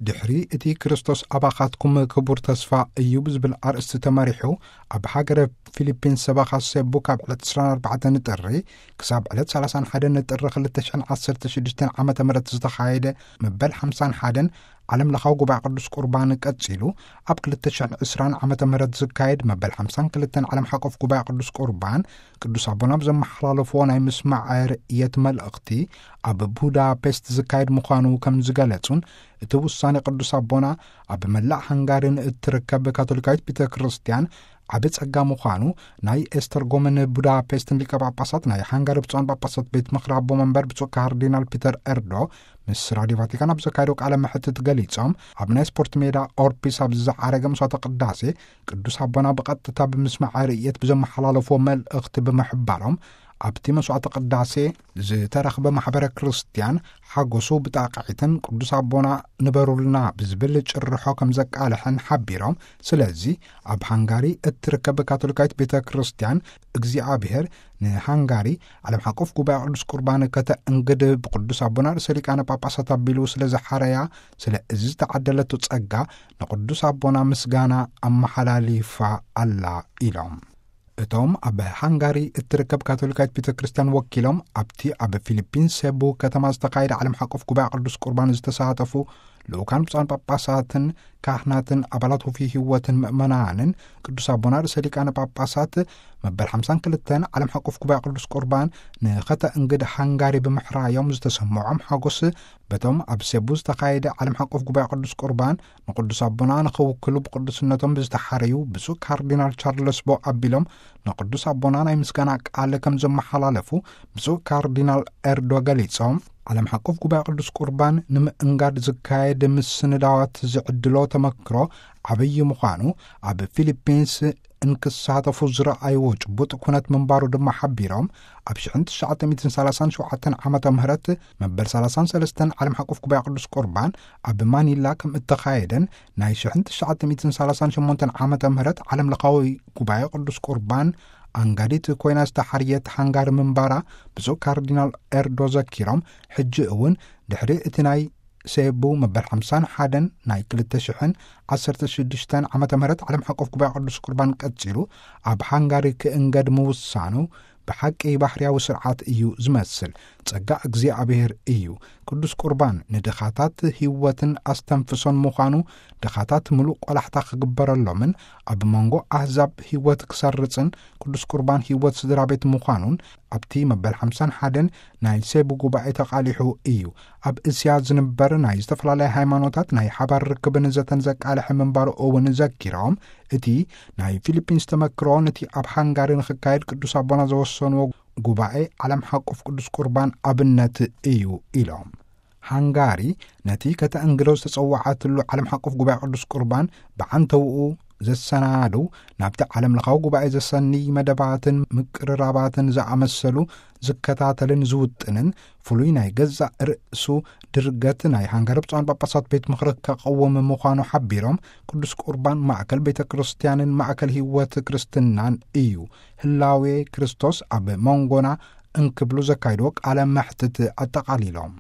ድሕሪ እቲ ክርስቶስ ኣባኻትኩም ክቡር ተስፋ እዩ ብዝብል ኣርእስቲ ተመሪሑ፣ ኣብ ሃገረ ፊሊፒንስ ሰበኻ ሴቡ ካብ ዕለት ዕስራን ኣርባዕተን ጥሪ ክሳብ ዕለት ሰላሳን ሓደን ጥሪ ክልተ ሽሕን ዓሰርተ ሽዱሽተን ዓመተ ምህረት ዝተኻየደ መበል ሓምሳን ሓደን ዓለም ለኻዊ ጉባኤ ቅዱስ ቁርባን ቀጺሉ፣ ኣብ ክልተ ሽሕን ዕስራን ዓመተ ምህረት ዝካየድ መበል ሓምሳን ክልተን ዓለም ሓቆፍ ጉባኤ ቅዱስ ቁርባን ቅዱስ ኣቦና ብዘመሓላለፍዎ ናይ ምስማዕ ርእየት መልእኽቲ ኣብ ቡዳፔስት ዝካየድ ምዃኑ ከም ዝገለጹን፣ እቲ ውሳኔ ቅዱስ ኣቦና ኣብ መላእ ሃንጋሪን እትርከብ ካቶሊካዊት ቤተ ክርስቲያን ዓቢ ጸጋ ምዃኑ ናይ ኤስተርጎምን ቡዳፔስትን ሊቀ ጳጳሳት ናይ ሃንጋሪ ብፁዓን ጳጳሳት ቤት ምኽሪ ኣቦ መንበር ብፁዕ ካርዲናል ፒተር ኤርዶ ምስ ራዲዮ ቫቲካን ኣብ ዘካየደው ቃለ መሕትት ገሊጾም፣ ኣብ ናይ ስፖርት ሜዳ ኦርፒስ ኣብ ዝዓረገ መስዋዕተ ቅዳሴ ቅዱስ ኣቦና ብቐጥታ ብምስማዕ ርእየት ብዘመሓላለፍዎ መልእኽቲ ብምሕባሮም፣ ኣብቲ መስዋዕተ ቅዳሴ ዝተረኽበ ማሕበረ ክርስቲያን ሓጎሱ ብጣቕዒትን ቅዱስ ኣቦና ንበሩልና ብዝብል ጭርሖ ከም ዘቃልሐን ሓቢሮም፣ ስለዚ ኣብ ሃንጋሪ እትርከብ ካቶሊካዊት ቤተ ክርስቲያን እግዚኣብሔር ንሃንጋሪ ዓለም ሓቆፍ ጉባኤ ቅዱስ ቁርባን ከተእንግድ ብቅዱስ ኣቦና ርእሰ ሊቃነ ጳጳሳት ኣቢሉ ስለ ዝሓረያ፣ ስለ እዚ ዝተዓደለቶ ጸጋ ንቅዱስ ኣቦና ምስጋና ኣመሓላሊፋ ኣላ ኢሎም። እቶም ኣብ ሃንጋሪ እትርከብ ካቶሊካዊት ቤተ ክርስቲያን ወኪሎም ኣብቲ ኣብ ፊሊፒንስ ሴቡ ከተማ ዝተኻየደ ዓለም ሓቆፍ ጉባኤ ቅዱስ ቁርባን ዝተሳተፉ ልኡካን ብፁዓን ጳጳሳትን ካህናትን ኣባላት ውፉይ ህይወትን ምእመናንን ቅዱስ ኣቦና ርእሰ ሊቃነ ጳጳሳት መበል ሓምሳን ክልተን ዓለም ሓቆፍ ጉባኤ ቅዱስ ቁርባን ንኸተእንግድ ሃንጋሪ ብምሕራዮም ዝተሰምዖም ሓጎስ በቶም ኣብ ሴቡ ዝተኻየደ ዓለም ሓቆፍ ጉባኤ ቅዱስ ቁርባን ንቅዱስ ኣቦና ንኸውክሉ ብቅዱስነቶም ብዝተሓረዩ ብፁዕ ካርዲናል ቻርለስ ቦ ኣቢሎም ንቅዱስ ኣቦና ናይ ምስጋና ቃል ከም ዘመሓላለፉ ብፁዕ ካርዲናል ኤርዶ ገሊጾም፣ ዓለም ሓቆፍ ጉባኤ ቅዱስ ቁርባን ንምእንጋድ ዝካየድ ምስንዳዋት ዝዕድሎ ተመክሮ ዓብዪ ምዃኑ፣ ኣብ ፊሊፒንስ እንክሳተፉ ዝረኣይዎ ጭቡጥ ኩነት ምንባሩ ድማ ሓቢሮም፣ ኣብ ሽሕን ትሽዓተ ሚእትን ሰላሳን ሸውዓተን ዓመተ ምህረት መበል ሰላሳን ሰለስተን ዓለም ሓቆፍ ጉባኤ ቅዱስ ቁርባን ኣብ ማኒላ ከም እተኻየደን፣ ናይ ሽሕን ትሽዓተ ሚእትን ሰላሳን ሸሞንተን ዓመተ ምህረት ዓለም ለኻዊ ጉባኤ ቅዱስ ቁርባን ኣንጋዲት ኮይና ዝተሓርየት ሃንጋሪ ምንባራ ብፁዕ ካርዲናል ኤርዶ ዘኪሮም፣ ሕጂ እውን ድሕሪ እቲ ናይ ሴቡ መበል ሓምሳን ሓደን ናይ ክልተ ሽሕን ዓሰርተ ሽዱሽተን ዓመተ ምህረት ዓለም ሓቆፍ ጉባኤ ቅዱስ ቁርባን ቀጺሉ ኣብ ሃንጋሪ ክእንገድ ምውሳኑ ብሓቂ ባህርያዊ ስርዓት እዩ ዝመስል። ጸጋ እግዚኣብሔር እዩ። ቅዱስ ቁርባን ንድኻታት ህይወትን ኣስተንፍሶን ምዃኑ፣ ድኻታት ምሉእ ቆላሕታ ክግበረሎምን ኣብ መንጎ ኣህዛብ ህይወት ክሰርጽን ቅዱስ ቁርባን ህይወት ስድራ ቤት ምዃኑን ኣብቲ መበል ሓምሳን ሓደን ናይ ሴቡ ጉባኤ ተቓሊሑ እዩ። ኣብ እስያ ዝንበር ናይ ዝተፈላለያ ሃይማኖታት ናይ ሓባር ርክብን ዘተን ዘቃልሐ ምንባሩ እውን ዘኪሮም፣ እቲ ናይ ፊሊፒንስ ተመክሮ ነቲ ኣብ ሃንጋሪ ንኽካየድ ቅዱስ ኣቦና ዘወሰንዎ ጉባኤ ዓለም ሓቆፍ ቅዱስ ቁርባን ኣብነት እዩ ኢሎም። ሃንጋሪ ነቲ ከተእንግዶ ዝተጸዋዓትሉ ዓለም ሓቆፍ ጉባኤ ቅዱስ ቁርባን ብዓንተውኡ ዘሰናድው፣ ናብቲ ዓለም ለኻዊ ጉባኤ ዘሰንይ መደባትን ምቅርራባትን ዝኣመሰሉ ዝከታተልን ዝውጥንን፣ ፍሉይ ናይ ገዛእ ርእሱ ድርገት ናይ ሃንጋሪ ብፁዓን ጳጳሳት ቤት ምኽሪ ከቐውም ምዃኑ ሓቢሮም፣ ቅዱስ ቁርባን ማእከል ቤተ ክርስቲያንን ማእከል ህይወት ክርስትናን እዩ፣ ህላዌ ክርስቶስ ኣብ መንጎና እንክብሉ ዘካይድዎ ቃለ መሕትት ኣጠቓሊሎም።